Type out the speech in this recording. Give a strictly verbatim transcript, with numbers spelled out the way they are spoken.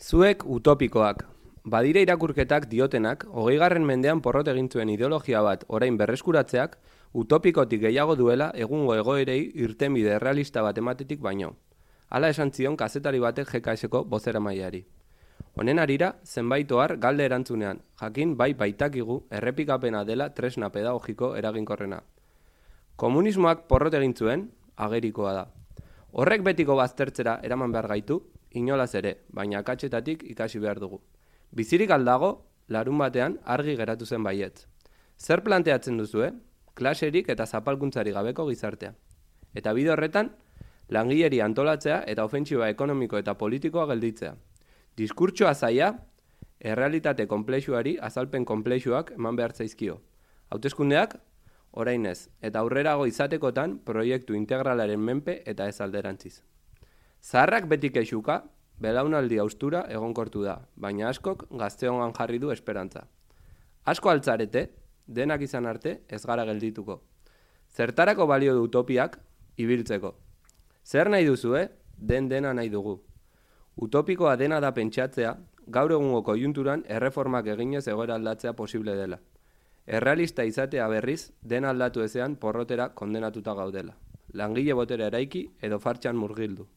Zuek utopikoak. Badire irakurketak diotenak, hogeigarren mendean porrot egin zuen ideologia bat orain berreskuratzeak, utopikotik gehiago duela egungo egoerei irtenbide errealista bat ematetik baino. Hala esan zion kazetari batek G K S-ko bozeramaileari. Honen harira, zenbait ohar galde erantzunean, jakin bai baitakigu errepikapena dela tresna pedagogiko eraginkorrena. Komunismoak porrot egin zuen, agerikoa da. Horrek betiko baztertzera eraman behar gaitu, inolaz ere, baina akatsetatik ikasi behar dugu. Bizirik aldago, larun batean argi geratu zen baietz. Zer planteatzen duzue? Klaserik eta zapalkuntzari gabeko gizartea. Eta bide horretan, langileri antolatzea eta ofentsiba ekonomiko eta politikoa gelditzea. Diskurtsoa zaila, errealitate konplexuari azalpen konplexuak eman behar zaizkio. Hauteskundeak, orain ez, eta aurrerago izatekotan proiektu integralaren menpe eta ez alderantziz. Zaharrak beti kexuka, belaunaldi austura egonkortu da, baina askok gazteongan jarri du esperantza. Asko altzarete, denak izan arte ez gara geldituko. Zertarako balio du utopiak, ibiltzeko. Zer nahi duzue, den dena nahi dugu. Utopikoa dena da pentsatzea, gaur egungo koiunturan erreformak eginez egoera aldatzea posible dela. Errealista izatea berriz, dena aldatu ezean porrotera kondenatuta gaudela. Langile botera eraiki edo fartxan murgildu.